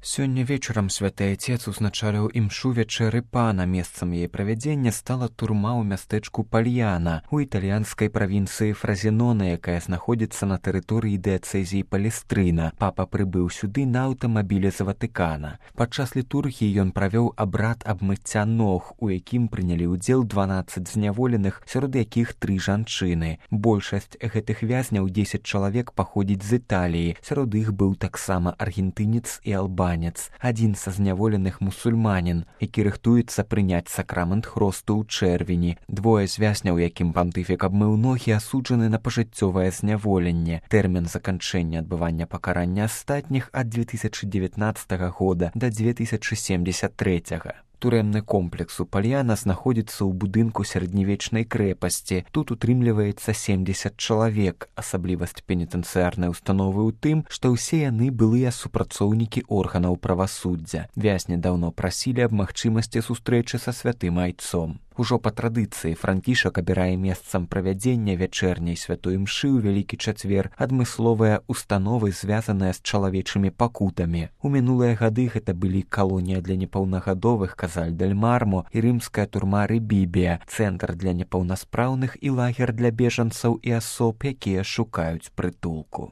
Сёння вечарам святы айцец узначаліў імшу вячэры пана. Месцам яе правядзення стала турма ў мястэчку Пальяна у італьянскай правінцыі Фразенона, якая знаходзіцца на тэрыторыі дыяцэзіі Палестрына. Папа прыбыў сюды на аўтамабілі з Ватыкана. Падчас літургіі ён правёў абрад абмыцця ног, у якім прынялі ўдзел 12 зняволеных, сярод якіх 3 жанчыны. Большасць гэтых вязняў, 10 чалавек, паходзіць з Італіі. Сярод іх быў таксама аргентынец і албанец. Адзін са зняволеных мусульманін, які рыхтуецца прыняць сакрамент хросту ў чэрвені. Двое з вязняў, якім пантыфік абмыў ногі, асуджаны на пажыццёвае зняволенне. Тэрмін заканчэння адбывання пакарання астатніх ад 2019 года да 2073. Турэмны комплекс у Пальяна знаходзіцца ў будынку сярэднявечнай крэпасці. Тут утрымліваецца 70 чалавек. Асаблівасць пенітэнцыярнай установы ў тым, што ўсе яны былыя супрацоўнікі органаў правасуддзя. Вязні даўно прасілі аб магчымасці сустрэчы са святым айцом. Ужо па традыцыі Франкішак абірае месцам правядзення вячэрняй святой імшы ў Вялікі чацвер адмысловыя установы, звязаныя з чалавечымі пакутамі. У мінулыя гады гэта былі калонія для непаўнагадовых Казаль дель Мармо і рымская турма Рыбібія, цэнтр для непаўнаспраўных і лагер для бежанцаў і асоб, якія шукаюць прытулку.